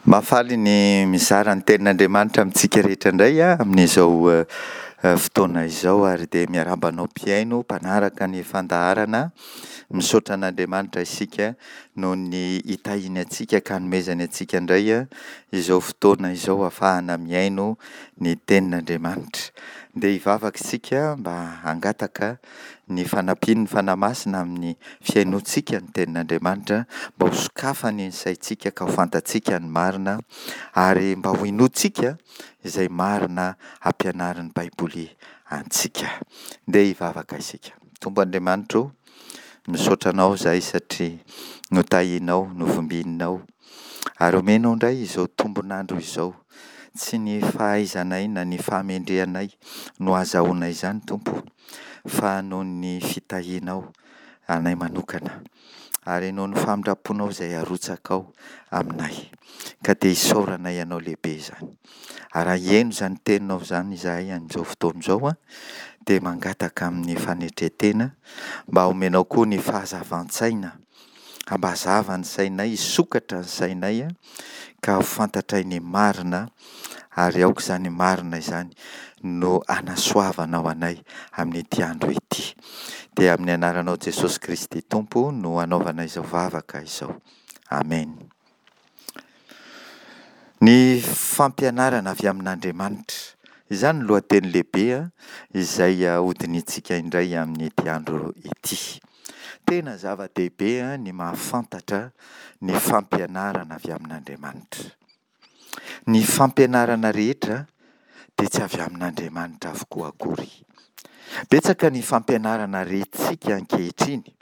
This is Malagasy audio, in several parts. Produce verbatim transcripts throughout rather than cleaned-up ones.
Mahafaly ny mizara ny tenin'Andriamanitra amintsika rehetra indray aho amin'izao fotoana izao ary dia miarahaba anao mpihaino, mpanaraka ny fandaharana. Misaotra an'Andriamanitra isika noho ny hitahiany antsika ka hanomezany antsika indray izao fotoana izao ahafahana mihaino ny tenin'Andriamanitra. Ndeha hivavaka isika mba hangataka ny fanampian'ny Fanahy Masina amin'ny fihainoantsika ny tenin'Andriamanitra, mba ho sokafany ny saintsika ka ho fantatsika ny marina, ary mba ho inoantsika izay marina ampianarin'ny Baiboly antsika. Ndeha hivavaka isika. Tompo Andriamanitra o, misaotra Anao izahay satria notahianao, novimbininao, ary omenao indray izao tombon'andro izao. Tsy ny fahaizanay na ny fahamendrehanay no ahazahoanay izany Tompo o, fa noho ny fitahianao anay manokana, ary noho ny famindram-ponao izay arotsakao aminay. Ka dia isaoranay Anao lehibe izany. Ary raha hihaino izany teninao izany izahay amin'izao fotoana izao an, dia mangataka amin'ny fanetren-tena mba homenao koa ny fahazavan-tsaina, hampazava ny sainay, hisokatra ny sainay ka ho fantatray ny marina, ary aoka izany marina izany no hanasoavanao anay amin'ity andro ity. Dia amin'ny anaranao Jesosy Kristy Tompo no anaovana izao vavaka izao. Amen. Ny fampianarana avy amin'Andriamanitra. Izany no lohateny lehibe izay hodinihintsika indray amin'ity andro ity. Tena zava-dehibe ny mahafantatra ny fampianarana avy amin'Andriamanitra. Ny fampianarana rehetra dia tsy avy amin'Andriamanitra avokoa akory. Betsaka ny fampianarana rentsika ankehitriny.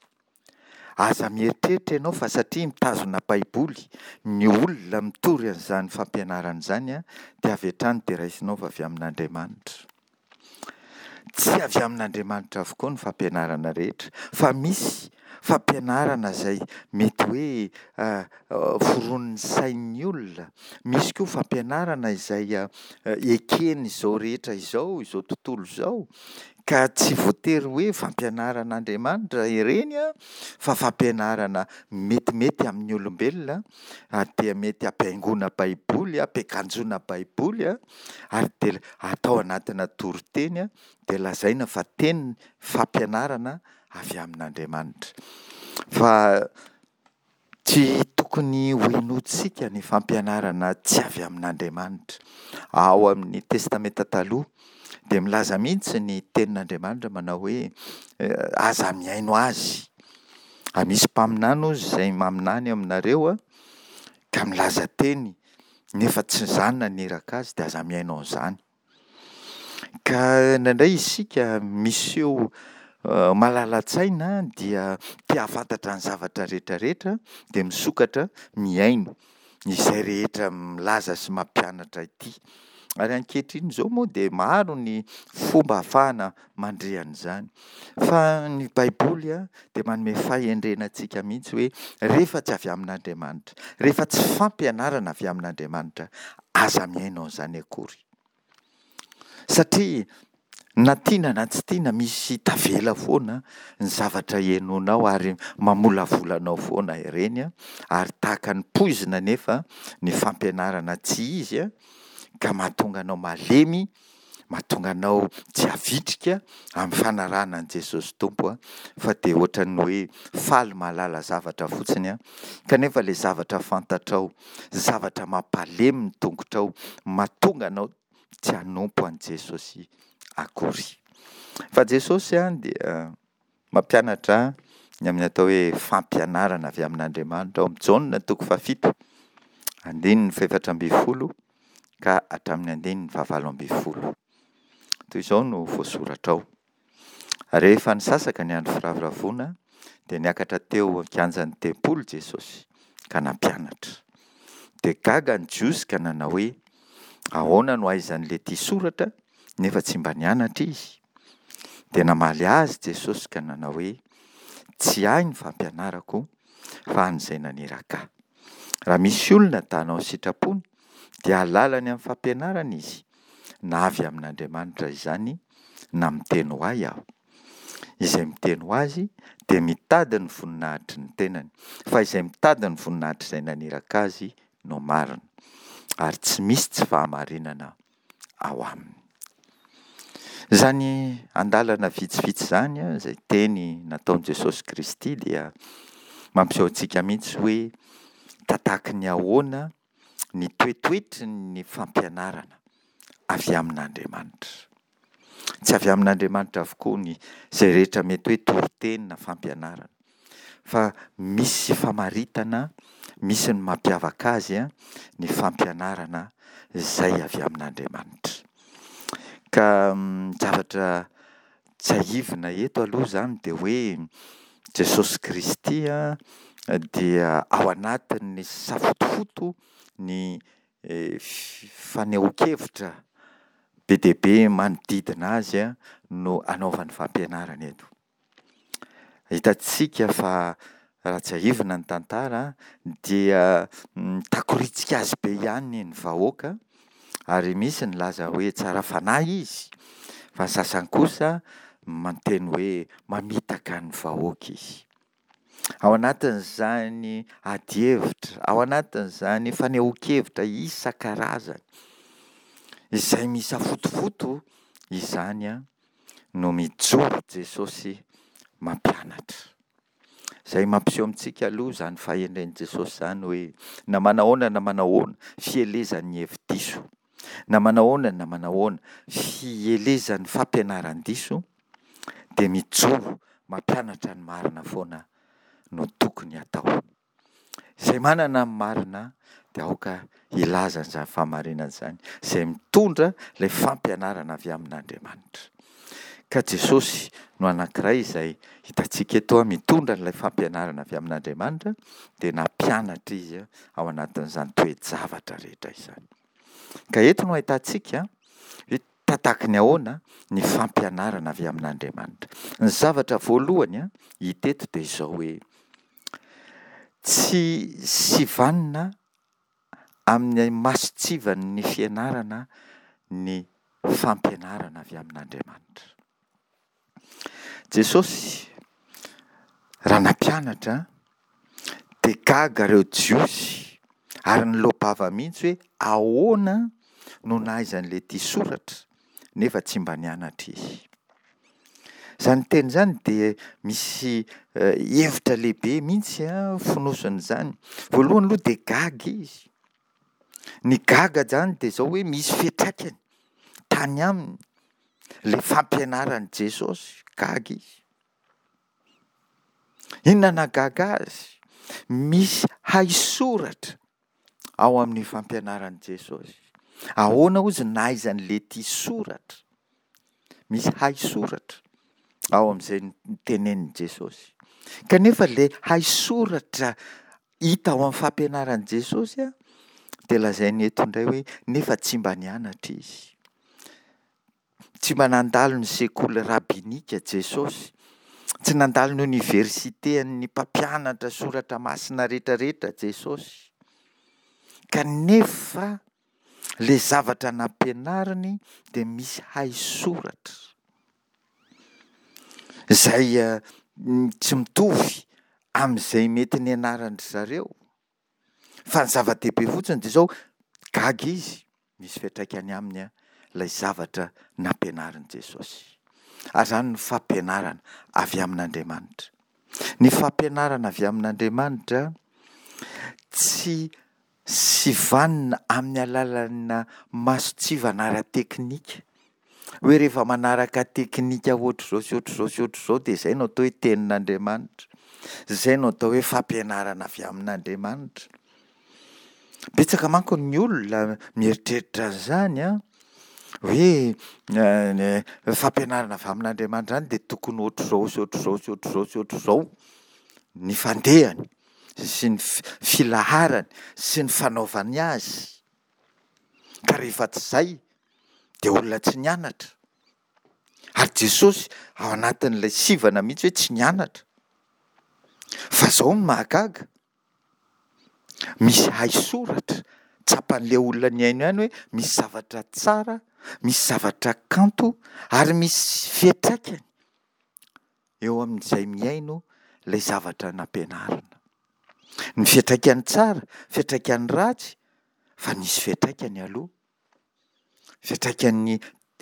Aza mieritreritra ianao fa satria mitazona Baiboly ny olona mitory an'izany fampianarana izany dia avy hatrany dia raisinao fa avy amin'Andriamanitra. Tsy avy amin'Andriamanitra avokoa ny fampianarana rehetra fa misy fampianarana izay mety hoe foronin'ny sain'ny olona. Misy koa fampianarana izay eken'izao rehetra izao, izao tontolo izao, ka tsy voatery hoe fampianaran'Andriamanitra ireny fa fampianarana metimety amin'ny olombelona, ary dia mety hampihaingoana Baiboly, hampiakanjoana Baiboly, ary dia atao anatina toriteny, dia lazaina fa teny fampianarana avy amin'Andriamanitra. Fa tsy tokony hohenointsika ny fampianarana tsy avy amin'Andriamanitra. Ao amin'ny Testamenta Taloha dia milaza mihitsy ny tenin'Andriamanitra manao hoe aza mihaino azy. Raha misy mpaminany hozy izay maminany aminareo ka milaza teny nefa tsy izany naniraka azy dia aza mihaino an'izany. Ka indraindray isika miseho malala-tsaina dia te hahafantatra ny zavatra rehetra rehetra dia misokatra mihaino izay rehetra milaza sy mampianatra ity. Ary ankehitriny izao moa dia maro ny fomba ahafahana mandre an'izany. Fa ny Baiboly dia manome fahendrena antsika mihitsy hoe rehefa tsy avy amin'Andriamanitra, rehefa tsy fampianarana avy amin'Andriamanitra, aza mihaino an'izany akory. Satria na tiana na tsy tiana misy tavela foana ny zavatra henoinao ary mamolavola anao foana ireny, ary tahaka ny poizina anefa ny fampianarana tsy izy ka mahatonga anao malemy, mahatonga anao tsy havitrika amin'ny fanarahana an'i Jesosy Tompo, fa dia ohatran'ny hoe faly mahalala zavatra fotsiny, kanefa ilay zavatra fantatrao, zavatra mampalemy ny tongotrao, mahatonga anao tsy hanompo an'i Jesosy akory. Fa Jesosy dia mampianatra ny amin'ny atao hoe fampianarana avy amin'Andriamanitra ao amin'ny Jaona toko fahafito, andininy fahefatra ambin'ny folo ka hatramin'ny andininy fahavalo ambin'ny folo. Toy izao no voasoratra ao. Rehefa nisasaka ny andro firavoravoana dia niakatra teo an-kianjan'ny tempoly Jesosy ka nampianatra. Dia gaga ny Jiosy ka nanao hoe, ahoana no ahaizan'ilay ity soratra nefa tsy mba nianatra izy? Dia namaly azy Jesosy ka nanao hoe, tsy ahy ny fampianarako fa an'izay naniraka ahy. Raha misy olona ta hanao ny sitrapony dia hahalala ny amin'ny fampianarana izy, na avy amin'Andriamanitra izany na miteny ho ahy aho. Izay miteny ho azy dia mitady ny voninahitry ny tenany, fa izay mitady ny voninahitr'izay naniraka azy no marina. ary tsy misy tsy fahamarinana ao aminy. Izany andalana vitsivitsy izany, izay teny nataon'i Jesosy Kristy dia mampiseho antsika mihitsy hoe tatahaka ny ahoana ny toetoetry ny fampianarana avy amin'Andriamanitra. Tsy avy amin'Andriamanitra avokoa ny izay rehetra mety hoe toriteny na fampianarana, fa misy famaritana, misy ny mampiavaka azy ny fampianarana izay avy amin'Andriamanitra. Ka ny zavatra tsiahivina eto aloha izany dia hoe Jesosy Kristy dia ao anatin'ny safotofoto ny fanehoan-kevitra be dia be manodidina azy no anaovany fampianarana eto. Hitantsika fa raha tsiahivina ny tantara dia mitakoritsika azy be ihany ny vahoaka ary misy nilaza hoe tsara fanahy izy, fa ny sasany kosa miteny hoe mamitaka ny vahoaka izy. Ao anatin'izany adihevitra, ao anatin'izany fanehoan-kevitra isan-karazany izay misafotofoto izany no mijoro Jesosy mampianatra. Izay mampiseho amintsika aloha izany fahendren'i Jesosy izany hoe na manahoana na manahoana fielezan'ny hevi-diso, na manahoana na manahoana fielezan'ny fampianaran-diso dia mijoro mampianatra ny marina foana no tokony hatao. Izay manana ny marina dia aoka hilaza an'izany fahamarinana izany, izay mitondra ilay fampianarana avy amin'Andriamanitra. Ka Jesosy no anankiray izay hitantsika eto mitondra an'ilay fampianarana avy amin'Andriamanitra, dia nampianatra izy ao anatin'izany toe-javatra rehetra izany. Ka eto no ahitantsika hoe tataky ny ahoana ny fampianarana avy amin'Andriamanitra. Ny zavatra voalohany hita eto dia izao hoe tsy sivanina amin'ny mason-tsivan'ny fianarana ny fampianarana avy amin'Andriamanitra. Jesosy raha nampianatra dia gaga ireo Jiosy ary niloa-bava mihitsy hoe ahoana no nahaizan'ilay ity soratra nefa tsy mba nianatra izy. Izany teny izany dia misy hevitra lehibe mihitsy fonosin'izany. Voalohany aloha dia gaga izy. Ny gaga izany dia izao hoe misy fiantraikany tany aminy ilay fampianaran'i Jesosy. Gaga izy. Inona nahagaga azy? Misy haisoratra ao amin'ny fampianaran'i Jesosy. Ahoana hozy no nahaizan'ilay ity soratra? Misy haisoratra ao amin'izay notenenin'i Jesosy. Kanefa ilay haisoratra hita ao amin'ny fampianaran'i Jesosy dia lazainy eto indray hoe nefa tsy mba nianatra izy. Tsy mba nandalo ny sekoly rabinika Jesosy. Tsy nandalo ny oniversite an'ny mpampianatra soratra masina rehetrarehetra Jesosy. Kanefa ilay zavatra nampianariny dia misy haisoratra izay tsy mitovy amin'izay mety nianaran-dry zareo. Fa ny zava-dehibe fotsiny dia izao, gaga izy, misy fiantraikany aminy ilay zavatra nampianarin'i Jesosy. Ary izany ny fampianarana avy amin'Andriamanitra. Ny fampianarana avy amin'Andriamanitra tsy sivanina amin'ny alalan'ny mason-tsivana ara-teknika. Hoe rehefa manaraka teknika ohatr'izao sy ohatr'izao sy ohatr'izao dia izay no atao hoe tenin'Andriamanitra. Izay no atao hoe fampianarana avy amin'Andriamanitra. Betsaka manko ny olona mieritreritra an'izany an, hoe fampianarana avy amin'Andriamanitra izany dia tokony ohatr'izao sy ohatr'izao sy ohatr'izao sy ohatr'izao ny fandehany sy ny filaharany sy ny fanaovany azy. Ka rehefa tsy izay dia olona tsy nianatra. Ary Jesosy ao anatin'ilay sivana mihitsy hoe tsy nianatra. Fa izao no mahagaga, misy haisoratra, tsapan'ilay olona nihaino ihany hoe misy zavatra tsara, misy zavatra kanto ary misy fiantraikany eo amin'izay mihaino ilay zavatra nampianarina. Ny fiantraikany tsara, fiantraikany ratsy, Fa nisy fiantraikany aloha. Fiantraikan'ny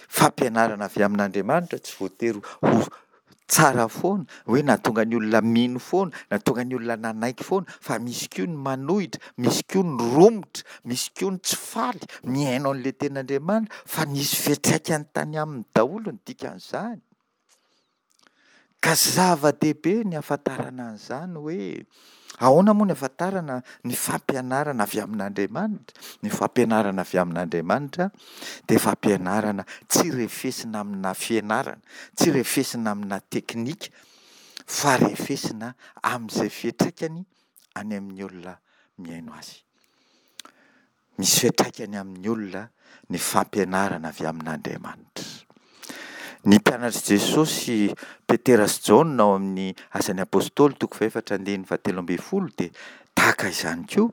fampianarana avy amin'Andriamanitra tsy voatery ho tsara foana, hoe nahatonga ny olona mino foana, nahatonga ny olona nanaiky foana, fa misy koa ny manohitra, misy koa ny romotra, misy koa ny tsy faly mihaino an'ilay tenin'Andriamanitra, fa nisy fiantraikany tany aminy daholo ny dikan'izany. Ka zava-dehibe ny ahafantarana an'izany hoe ahoana moa ny ahafantarana ny fampianarana avy amin'Andriamanitra? Ny fampianarana avy amin'Andriamanitra dia fampianarana tsy refesina amina fianarana, tsy refesina amina teknika, fa refesina amin'izay fiantraikany any amin'ny olona mihaino azy. Misy fiantraikany amin'ny olona ny fampianarana avy amin'Andriamanitra. Ny mpianatr'i Jesosy, Petera sy Jaona ao amin'ny Asan'ny Apostoly toko fahefatra andininy fahatelo ambin'ny folo dia tahaka izany koa.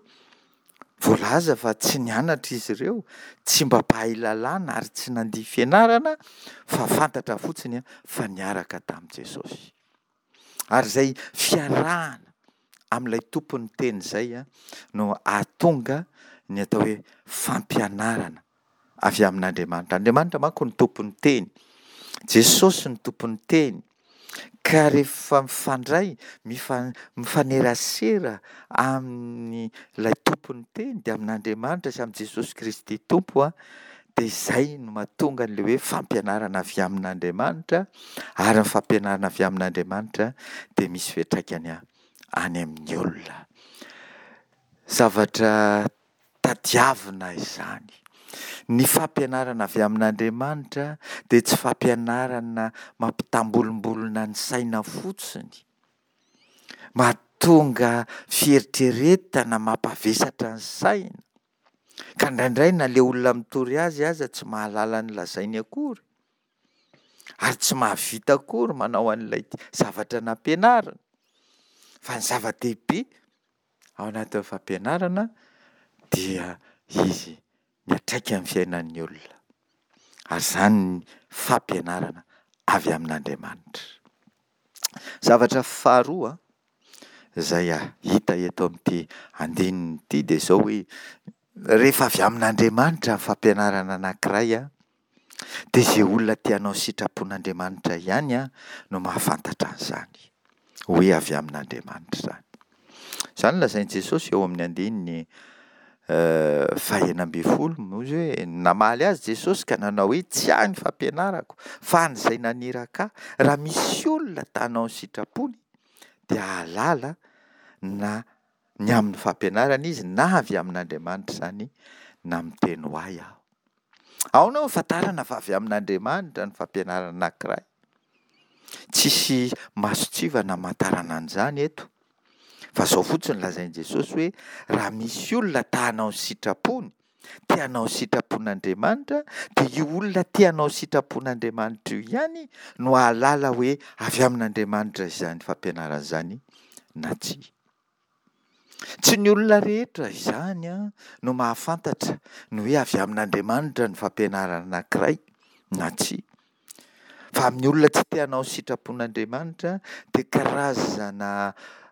Voalaza fa tsy nianatra izy ireo, tsy mba mpahay lalàna ary tsy nandia fianarana fa fantatra fotsiny fa niaraka tamin'i Jesosy. Ary izay fiarahana amin'ilay tompon'ny teny izay no ahatonga ny atao hoe fampianarana avy amin'Andriamanitra. Andriamanitra manko no tompon'ny teny. Jesosy no tompon'ny teny. Ka rehefa mifandray, mifanerasera amin'ilay tompon'ny teny, dia amin'Andriamanitra sy amin'i Jesosy Kristy Tompo, dia izay no mahatonga an'ilay hoe fampianarana avy amin'Andriamanitra, ary ny fampianarana avy amin'Andriamanitra dia misy fiantraikany any amin'ny olona. Zavatra tadiavina izany. Ny fampianarana avy amin'Andriamanitra dia tsy fampianarana mampitambolimbolina ny saina fotsiny, mahatonga fieritreretana mampavesatra ny saina, ka indraindray na ilay olona mitory azy aza tsy mahalala ny lazainy akory, ary tsy mahavita akory manao an'ilay zavatra nampianarina. Fa ny zava-dehibe ao anatin'ny fampianarana dia izy miantraika amin'ny fiainan'ny olona. Ary izany ny fampianarana avy amin'Andriamanitra. Zavatra faharoa izay hita eto amin'ity andininy ity dia izao hoe rehefa avy amin'Andriamanitra ny fampianarana anankiray dia izay olona te hanao ny sitrapon'Andriamanitra ihany no mahafantatra an'izany hoe avy amin'Andriamanitra izany. Izany no lazain'i Jesosy eo amin'ny andininy fahenina ambin'ny folo, hoy izy hoe namaly azy Jesosy ka nanao hoe tsy ahy ny fampianarako fa an'izay naniraka ahy. Raha misy olona ta hanao ny sitrapony dia hahalala na ny amin'ny fampianarana izy na avy amin'Andriamanitra izany na miteny ho ahy aho. Ahoana no ahafantarana fa avy amin'Andriamanitra ny fampianarana anankiray? Tsisy mason-tsivana hamantarana an'izany eto. Fa izao fotsiny lazain'i Jesosy hoe raha misy olona ta hanao ny sitrapony, te hanao ny sitrapon'Andriamanitra, dia io olona te hanao ny sitrapon'Andriamanitra io ihany no hahalala hoe avy amin'Andriamanitra izany fampianarana izany na tsia. Tsy ny olona rehetra izany no mahafantatra ny hoe avy amin'Andriamanitra ny fampianarana anankiray na tsia. Fa amin'ny olona tsy te hanao ny sitrapon'Andriamanitra dia karazana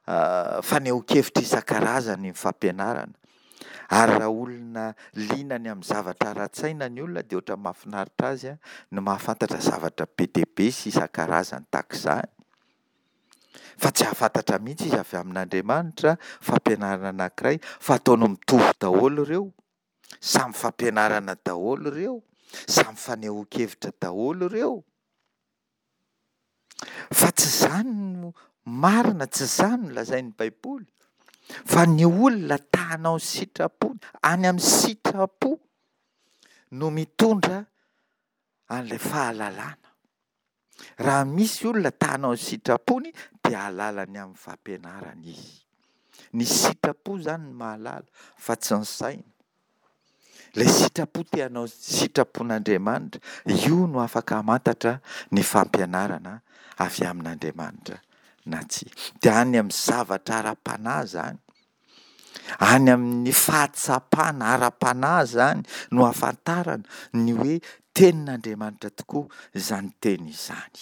fanehoan-kevitra isan-karazany ny fampianarana. Ary raha olona liana ny amin'ny zavatra ara-tsaina ny olona dia ohatran'ny mahafinaritra azy ny mahafantatra zavatra be dia be sy isan-karazany tahaka izany. Fa tsy hahafantatra mihitsy izy avy amin'Andriamanitra fampianarana anankiray fa ataony mitovy daholo ireo. Samy fampianarana daholo ireo. Samy fanehoan-kevitra daholo ireo. Fa tsy izany no marina, tsy izany no lazain'ny Baiboly. Fa ny olona ta hanao ny sitrapony, any amin'ny sitrapo no mitondra an'ilay fahalalana. Raha misy olona ta hanao ny sitrapony dia hahalala ny amin'ny fampianarana izy. Ny sitrapo izany no mahalala fa tsy ny saina. Ilay sitrapo te hanao ny sitrapon'Andriamanitra, io no afaka hamantatra ny fampianarana avy amin'Andriamanitra na tsia. Dia any amin'ny zavatra ara-panahy izany, any amin'ny fahatsapana ara-panahy izany no ahafantarana ny hoe tenin'Andriamanitra tokoa izany teny izany.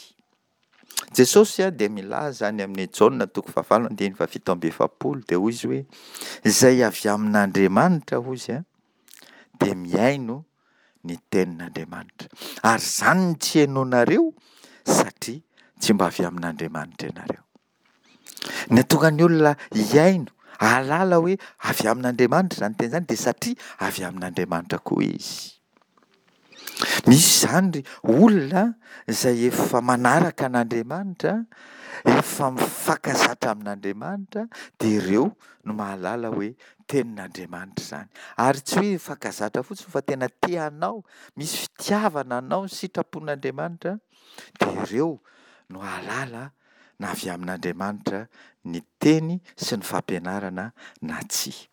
Jesosy dia milaza any amin'ny Jaona toko fahavalo andininy fahafito amby efapolo dia hoy izy hoe izay avy amin'Andriamanitra hoy izy dia mihaino ny tenin'Andriamanitra. Ary izany no tsy henoinareo satria tsy mba avy amin'Andriamanitra ianareo. Ny hahatonga ny olona hihaino, hahalala hoe avy amin'Andriamanitra izany teny izany dia satria avy amin'Andriamanitra koa izy. Misy izany olona izay efa manaraka an'Andriamanitra, efa mifankazatra amin'Andriamanitra, dia ireo no mahalala hoe tenin'Andriamanitra izany. Ary tsy hoe mifankazatra fotsiny fa tena te hanao, misy fitiavana hanao ny sitrapon'Andriamanitra, dia ireo no hahalala na avy amin'Andriamanitra ny teny sy ny fampianarana na tsia.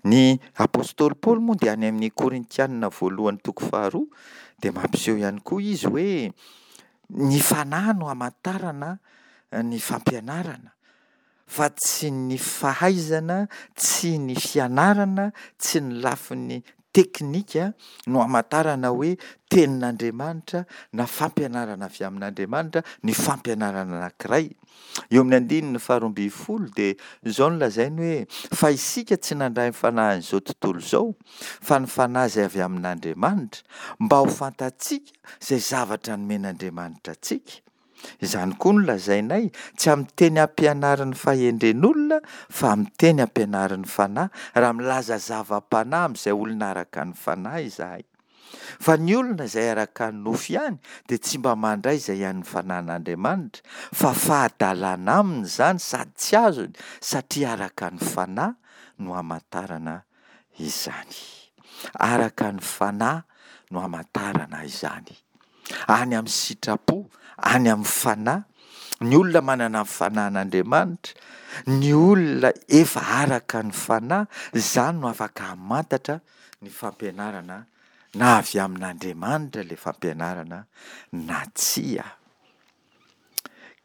Ny apostoly Paoly moa dia any amin'ny Korintianina voalohany toko faharoa dia mampiseho ihany koa izy hoe ny fanahy no hamantarana ny fampianarana fa tsy ny fahaizana, tsy ny fianarana, tsy ny lafiny teknika no hamantarana hoe tenin'Andriamanitra na fampianarana avy amin'Andriamanitra ny fampianarana anankiray. Eo amin'ny andininy faharoa ambin'ny folo dia izao no lazainy hoe, fa isika tsy nandray ny fanahin'izao tontolo izao, fa ny fanahy izay avy amin'Andriamanitra, mba ho fantatsika izay zavatra nomen'Andriamanitra antsika. Izany koa no lazainay, tsy amin'ny teny ampianarin'ny fahendren'olona, fa amin'ny teny ampianarin'ny fanahy, raha milaza zava-panahy amin'izay olona araka ny fanahy izahay. Fa ny olona izay araka ny nofo ihany dia tsy mba mandray izay an'ny fanahin'Andriamanitra, fa fahadalana aminy izany sady tsy azony, satria araka ny fanahy no hamantarana izany. Araka ny fanahy no hamantarana izany. Any amin'ny sitrapo, any amin'ny fanahy, ny olona manana ny fanahin'Andriamanitra, ny olona efa araka ny fanahy, izany no afaka hamantatra ny fampianarana na avy amin'Andriamanitra ilay fampianarana na tsia.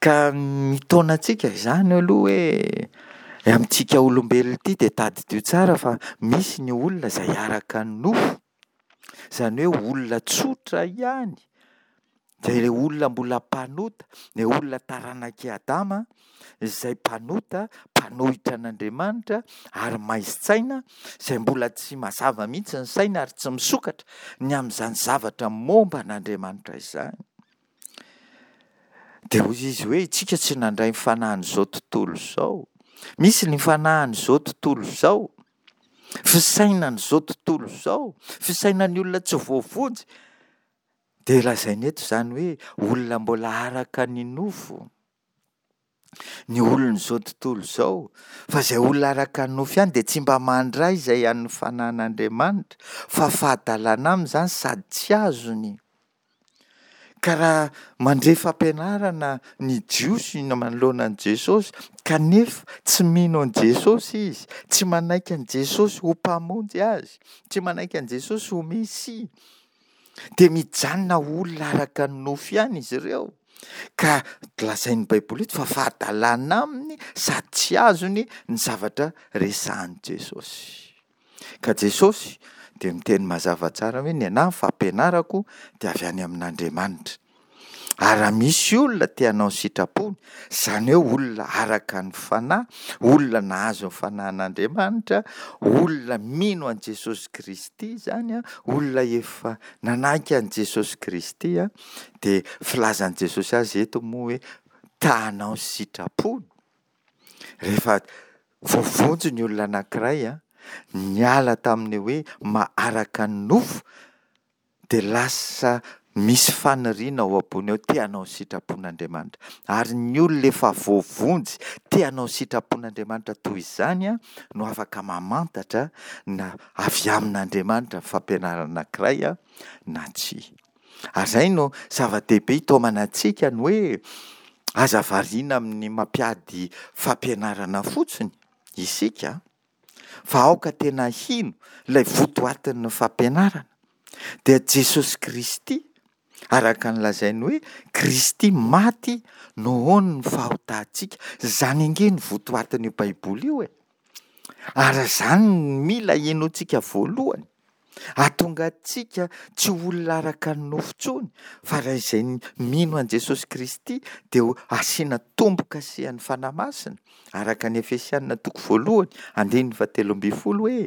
Ka mitaona antsika izany aloha hoe amintsika olombelona ity dia tadidio tsara fa misy ny olona izay araka ny nofo, izany hoe olona tsotra ihany, dia ilay olona mbola mpanota, ilay olona taranak'i Adama izay mpanota, mpanohitra an'Andriamanitra ary maizin-tsaina, izay mbola tsy mazava mihitsy ny sainy ary tsy misokatra ny amin'izany zavatra momba an'Andriamanitra izany. Dia hoy izy hoe isika tsy nandray ny fanahin'izao tontolo izao. Misy ny fanahin'izao tontolo izao, fisainan'izao tontolo izao, fisainan'ny olona tsy voavonjy. Dia lazainy eto izany hoe olona mbola araka ny nofo, ny olon'izao tontolo izao, fa izay olona araka ny nofo ihany dia tsy mba mandray izay an'ny fanahin'Andriamanitra, fa fahadalana aminy izany sady tsy azony. Ka raha mandre fampianarana ny Jiosy manoloana an'i Jesosy, kanefa tsy mino an'i Jesosy izy, tsy manaiky an'i Jesosy ho Mpamonjy azy, tsy manaiky an'i Jesosy ho Mesia, dia mijanona ho olona araka ny nofo ihany izy ireo. Ka lazain'ny Baiboly eto fa fahadalana aminy sady tsy azony ny zavatra resahin'i Jesosy. Ka Jesosy dia miteny mazava tsara hoe ny anahy ny fampianarako dia avy any amin'Andriamanitra. Ary raha misy olona te hanao ny sitrapony, izany hoe olona araka ny fanahy, olona nahazo ny fanahin'Andriamanitra, olona mino an'i Jesosy Kristy izany, olona efa nanaiky an'i Jesosy Kristy, dia filazan'i Jesosy azy eto moa hoe ta hanao ny sitrapony. Rehefa voavonjy ny olona anankiray, niala tamin'ny hoe maha-araka ny nofo, dia lasa misy faniriana ao am-pony ao te hanao ny sitrapon'Andriamanitra. Ary ny olona efa voavonjy te hanao ny sitrapon'Andriamanitra toy izany no afaka mamantatra na avy amin'Andriamanitra ny fampianarana anankiray na tsia. Ary izay no zava-dehibe itaomana antsika ny hoe aza variana amin'ny mampiady fampianarana fotsiny isika fa aoka tena hino ilay votoatin'ny fampianarana. Dia Jesosy Kristy, araka ny lazainy hoe Kristy maty nohon'ny fahotantsika. Izany ange no votoatin'io Baiboly io e. Ary izany no mila hinoantsika voalohany. Hahatonga antsika tsy ho olona araka ny nofo intsony, fa raha izay mino an'i Jesosy Kristy dia ho asiana tombo-kasehan'ny Fanahy Masina, araka ny Efesiana toko voalohany andininy fahatelo ambin'ny folo hoe: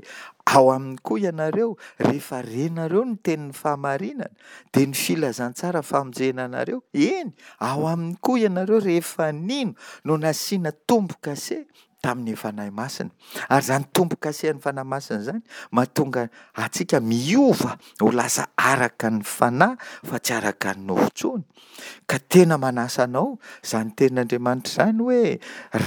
ao aminy koa ianareo, rehefa renareo ny tenin'ny fahamarinana, dia ny filazantsara famonjena anareo, eny, ao aminy koa ianareo rehefa nino no nasiana tombo-kase tamin'ny Fanahy Masina. Ary izany tombo-kasehan'ny Fanahy Masina izany mahatonga antsika miova ho lasa araka ny Fanahy fa tsy araka ny nofo intsony. Ka tena manasa anao izany tenin'Andriamanitra izany hoe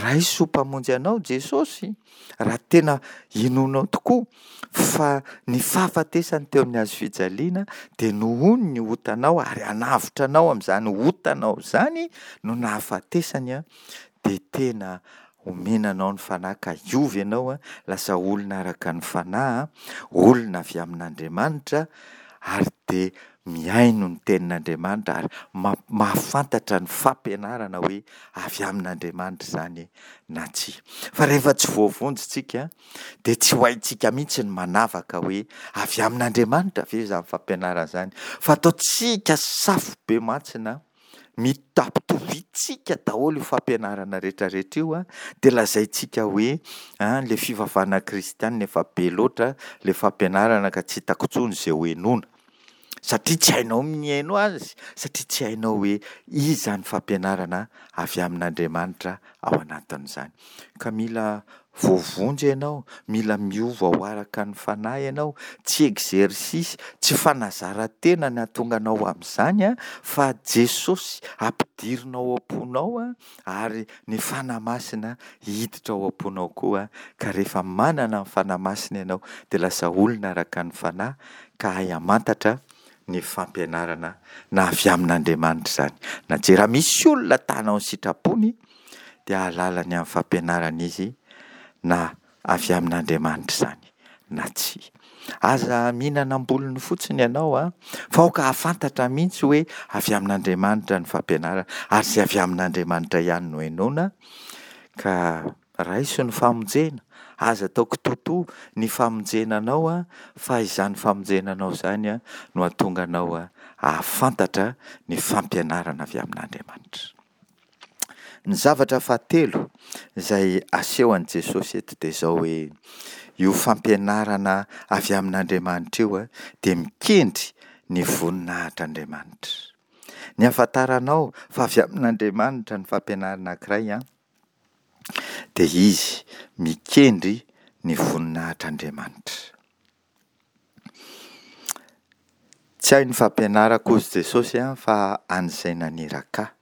raiso ho mpamonjy anao Jesosy, raha tena inoanao tokoa fa ny fahafatesany teo amin'ny hazo fijaliana dia nohony ny otanao ary hanavotra anao amin'izany otanao izany no nahafatesany, dia tena omena anao ny Fanahy ka hiova ianao, lasa olona araka ny Fanahy, olona avy amin'Andriamanitra, ary dia mihaino ny tenin'Andriamanitra ary mahafantatra ny fampianarana hoe avy amin'Andriamanitra izany na tsia. Fa rehefa tsy voavonjy tsika dia tsy ho haintsika mihitsy ny manavaka hoe avy amin'Andriamanitra ve izany fampianarana izany, fa ataontsika safo be mantsina, mitampitovintsika daholo io fampianarana rehetrarehetra io, dia lazaintsika hoe an, ilay fivavahana kristianina efa be loatra ilay fampianarana ka tsy hitako intsony izay ho henoina, satria tsy hainao ny mihaino azy, satria tsy hainao hoe iza ny fampianarana avy amin'Andriamanitra ao anatin'izany. Ka mila voavonjy ianao, mila miova ho araka ny Fanahy ianao, tsy exercice, tsy fanazaran-tena ny hahatonga anao amin'izany, fa Jesosy ampidirina ao am-ponao ary ny Fanahy Masina hiditra ao am-ponao koa, ka rehefa manana ny Fanahy Masina ianao dia lasa olona araka ny Fanahy ka hahay hamantatra ny fampianarana na avy amin'Andriamanitra izany na tsia. Raha misy olona ta hanao ny sitrapony dia hahalala ny amin'ny fampianarana izy na avy amin'Andriamanitra izany na tsia. Aza mihinana am-bolony fotsiny ianao a, fa aoka hahafantatra mihitsy hoe avy amin'Andriamanitra ny fampianarana, ary izay avy amin'Andriamanitra ihany no henoina, ka raiso ny famonjena, aza atao kitoatoa ny famonjena anao a, fa izany famonjena anao izany no hahatonga anao hahafantatra ny fampianarana avy amin'Andriamanitra. Ny zavatra fahatelo izay asehon'i Jesosy eto dia izao hoe io fampianarana avy amin'Andriamanitra io dia mikendry ny voninahitr'Andriamanitra. Ny ahafantaranao fa avy amin'Andriamanitra ny fampianarana anankiray dia izy mikendry ny voninahitr'Andriamanitra. Tsy ahy ny fampianarako hozy Jesosy fa an'izay naniraka ahy.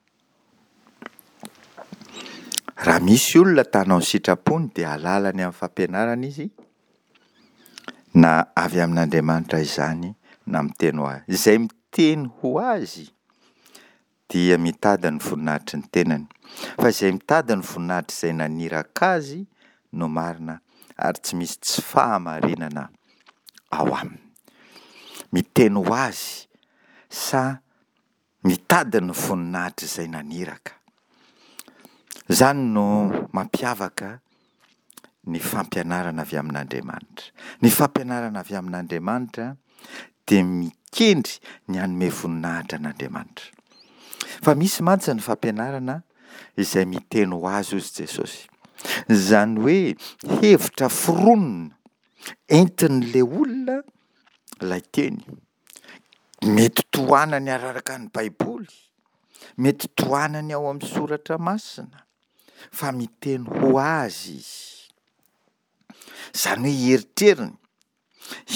Raha misy olona ta hanao ny sitrapony dia hahalala ny amin'ny fampianarana izy, na avy amin'Andriamanitra izany na miteny ho azy. Izay miteny ho azy dia mitady ny voninahitry ny tenany, fa izay mitady ny voninahitr'izay naniraka azy no marina ary tsy misy tsy fahamarinana ao aminy. Miteny ho azy sa mitady ny voninahitr'izay naniraka. Izany no mampiavaka ny fampianarana avy amin'Andriamanitra. Ny fampianarana avy amin'Andriamanitra dia mikendry ny hanome voninahitra an'Andriamanitra. Fa misy mantsy ny fampianarana izay miteny ho azy hozy Jesosy. Izany hoe hevitra foronina entin'ilay olona ilay teny. Mety tohanany araraka ny Baiboly, mety tohanany ao amin'ny soratra masina, fa miteny ho azy izy. Izany hoe eritreriny,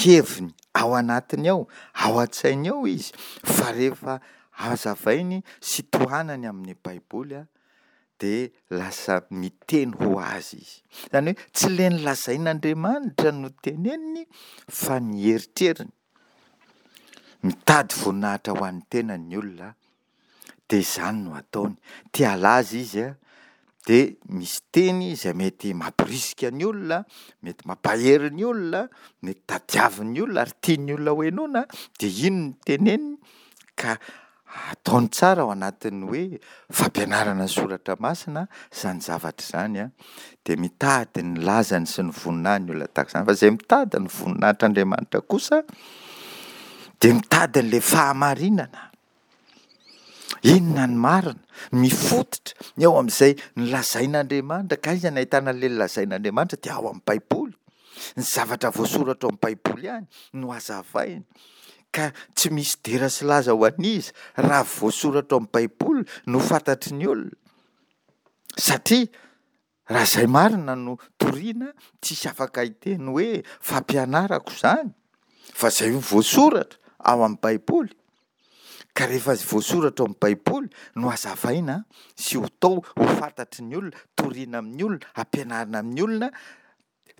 heviny ao anatiny ao, ao an-tsainy ao izy, fa rehefa hazavainy sy tohanany amin'ny Baiboly dia lasa miteny ho azy izy. Izany hoe tsy ilay nolazain'Andriamanitra no teneniny fa ny eritreriny. Mitady voninahitra ho an'ny tenany ny olona dia izany no ataony. Te halaza izy dia misy teny izay mety mampirisika ny olona, mety mampahery ny olona, mety tadiavin'ny olona ary tian'ny olona ho henoina dia iny no teneniny ka ataony tsara ao anatin'ny hoe fampianarana ny soratra masina izany zavatra izany an, dia mitady ny lazany sy ny voninahiny ny olona tahaka izany. Fa izay mitady ny voninahitr'Andriamanitra kosa dia mitady an'ilay fahamarinana. Inona ny marina? Mifototra eo amin'izay nolazain'Andriamanitra. Ka aiza no ahitana an'ilay nolazain'Andriamanitra? Dia ao amin'ny Baiboly. Ny zavatra voasoratra ao amin'ny Baiboly ihany no hazavaina. Ka tsy misy dera sy laza ho an'iza raha voasoratra ao amin'ny Baiboly no fantatry ny olona. Satria raha izay marina no toriana, tsisy afaka hiteny hoe fampianarako izany, fa izay voasoratra ao amin'ny Baiboly. Ka rehefa voasoratra ao amin'ny Baiboly no hazavaina sy ho tao ho fantatry ny olona, toriana amin'ny olona, ampianarina amin'ny olona,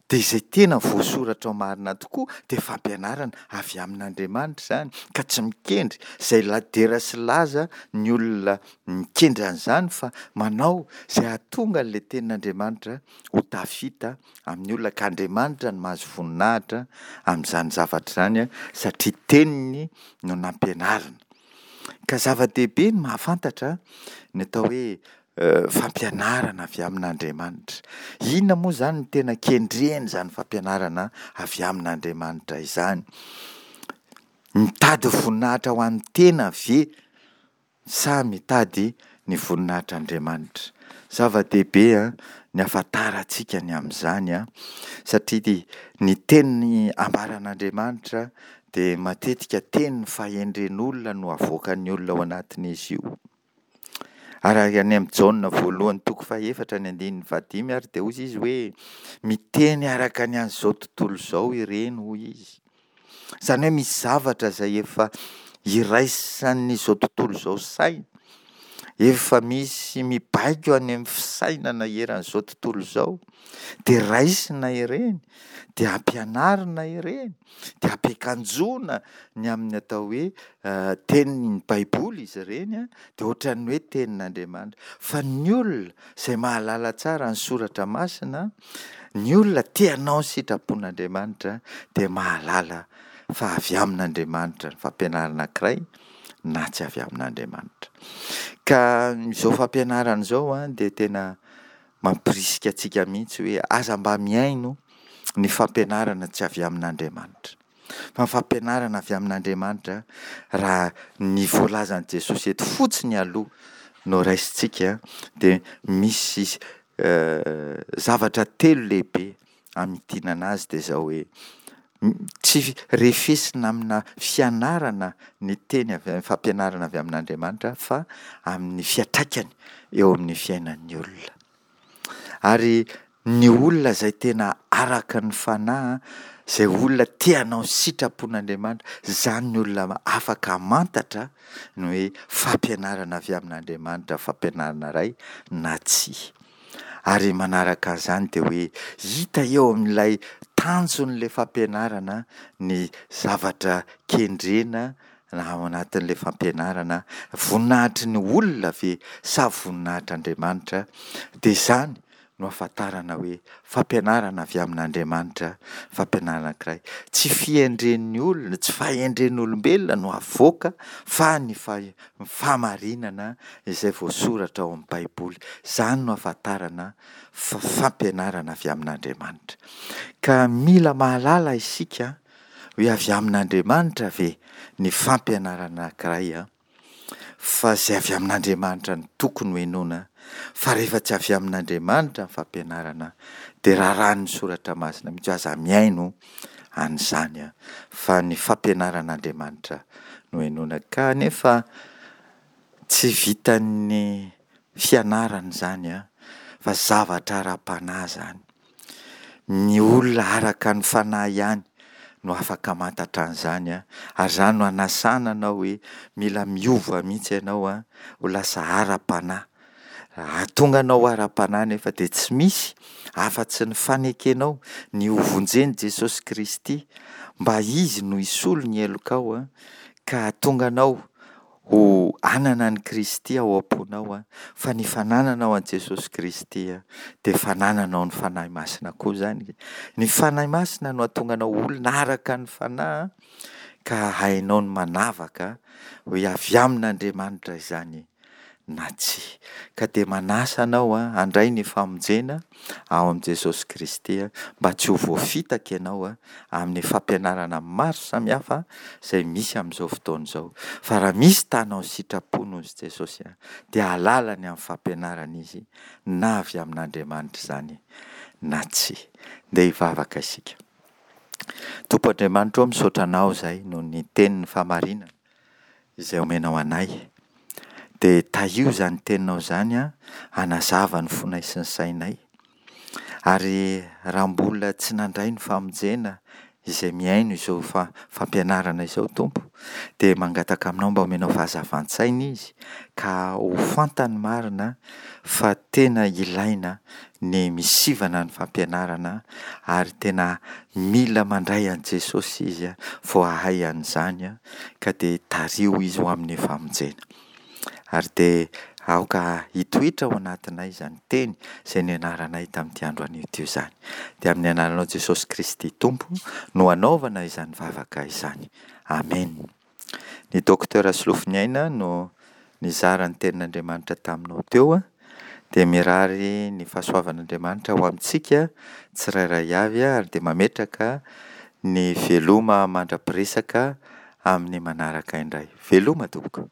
dia izay tena voasoratra ao marina tokoa dia fampianarana avy amin'Andriamanitra izany, ka tsy mikendry izay dera sy laza ny olona mikendry an'izany fa manao izay hahatonga an'ilay tenin'Andriamanitra ho tafita amin'ny olona, ka Andriamanitra no mahazo voninahitra amin'izany zavatra izany satria teniny no nampianarina. Ka zava-dehibe ny mahafantatra ny atao hoe fampianarana avy amin'Andriamanitra. Inona moa izany no tena kendren'izany fampianarana avy amin'Andriamanitra izany? Mitady voninahitra ho an'ny tena ve sa mitady ny voninahitr'Andriamanitra? Zava-dehibe ny hahafantarantsika ny amin'izany, satria ny teny ambaran'Andriamanitra dia matetika teny fahendren'olona no avoakan'ny olona ao anatin'izy io. Ary any amin'ny Jaona voalohany toko fahefatra ny andininy fahadimy ary dia hoy izy hoe miteny araka ny an'izao tontolo izao ireny hoy izy. Izany hoe misy zavatra izay efa iraisan'izao tontolo izao saina, efa misy mibaiko any amin'ny fisainana eran'izao tontolo izao, dia raisina ireny, dia ampianarina ireny, dia ampiakanjoana ny amin'ny atao hoe tenin'ny Baiboly izy ireny, dia ohatran'ny hoe tenin'Andriamanitra. Fa ny olona izay mahalala tsara ny soratra masina, ny olona te hanao ny sitrapon'Andriamanitra dia mahalala fa avy amin'Andriamanitra ny fampianarana anankiray na tsy avy amin'Andriamanitra. Ka izao fampianarana izao dia tena mampirisika antsika mihitsy hoe aza mba mihaino ny fampianarana tsy avy amin'Andriamanitra. Fa ny fampianarana avy amin'Andriamanitra, raha ny voalazan'i Jesosy eto fotsiny aloha no raisintsika, dia misy zavatra telo lehibe hamintinana azy, dia izao hoe, tsy refesina amina fianarana ny teny avy, fampianarana avy amin'Andriamanitra fa amin'ny fiantraikany eo amin'ny fiainan'ny olona. Ary ny olona izay tena araka ny fanahy, izay olona te hanao ny sitrapon'Andriamanitra, izany ny olona afaka hamantatra ny hoe fampianarana avy amin'Andriamanitra fampianarana iray na tsia. Ary manaraka an'izany dia hoe hita eo amin'ilay tanjon'ilay fampianarana ny zavatra kendrena na ao anatin'ilay fampianarana, voninahitry ny olona ve sa voninahitr'Andriamanitra? Dia izany no ahafantarana hoe fampianarana avy amin'Andriamanitra fampianarana anankiray. Tsy fihendren'ny olona, tsy fahendren'olombelona no avoaka fa ny fahamarinana izay voasoratra ao amin'ny Baiboly. Izany no ahafantarana fa fampianarana avy amin'Andriamanitra. Ka mila mahalala isika hoe avy amin'Andriamanitra ve ny fampianarana anankiray an? Fa izay avy amin'Andriamanitra no tokony ho henoina, fa rehefa tsy avy amin'Andriamanitra ny fampianarana dia raràn'ny Soratra Masina mihitsy hoe aza mihaino an'izany fa ny fampianaran'Andriamanitra no henoina. Kanefa tsy vitan'ny fianarana izany fa zavatra ara-panahy izany. Ny olona araka ny fanahy ihany no afaka hamantatra an'izany an, ary izany no hanasana anao hoe mila miova mihitsy ianao an, ho lasa ara-panahy. Hahatonga anao ho ara-panahy nefa dia tsy misy afa-tsy ny fanekenao ny ho vonjen'i Jesosy Kristy mba Izy no hisolo ny helokao an, ka hahatonga anao ho hanana an'i Kristy ao am-ponao fa ny fanananao an'i Jesosy Kristy dia fanananao ny Fanahy Masina koa izany. Ny Fanahy Masina no hahatonga anao olona araka ny Fanahy ka hainao ny manavaka hoe avy amin'Andriamanitra izany na tsia. Ka dia manasa anao handray ny famonjena ao amin'i Jesosy Kristy mba tsy ho voafitaka ianao amin'ny fampianarana maro samihafa izay misy amin'izao fotoana izao. Fa raha misy ta hanao ny sitrapony hozy Jesosy dia hahalala ny amin'ny fampianarana izy na avy amin'Andriamanitra izany na tsia. Ndeha hivavaka isika. Tompo Andriamanitra ô, misaotra Anao izahay noho ny tenin'ny fahamarinana izay omenao anay. Dia tahio izany teninao izany an, hanazava ny fonay sy ny sainay. Ary raha mbola tsy nandray ny famonjena izay mihaino izao fa-fampianarana izao Tompo, dia mangataka aminao mba homenao fahazavan-tsaina izy ka ho fantany marina fa tena ilaina ny misivana ny fampianarana ary tena mila mandray an'i Jesosy izy vao hahay an'izany ka dia tariho izy ho amin'ny famonjena. Ary dia aoka hitoetra ao anatinay izany teny izay nianaranay tamin'ity andro anio ity izany. Dia amin'ny anaranao Jesosy Kristy Tompo no anaovana izany vavaka izany. Amen. Ny Docteur Solofoniaina no nizara ny tenin'Andriamanitra taminao teo. Dia mirary ny fahasoavan'Andriamanitra ho amintsika tsirairay avy ary dia mametraka ny veloma mandra-piresaka amin'ny manaraka indray. Veloma tompoko.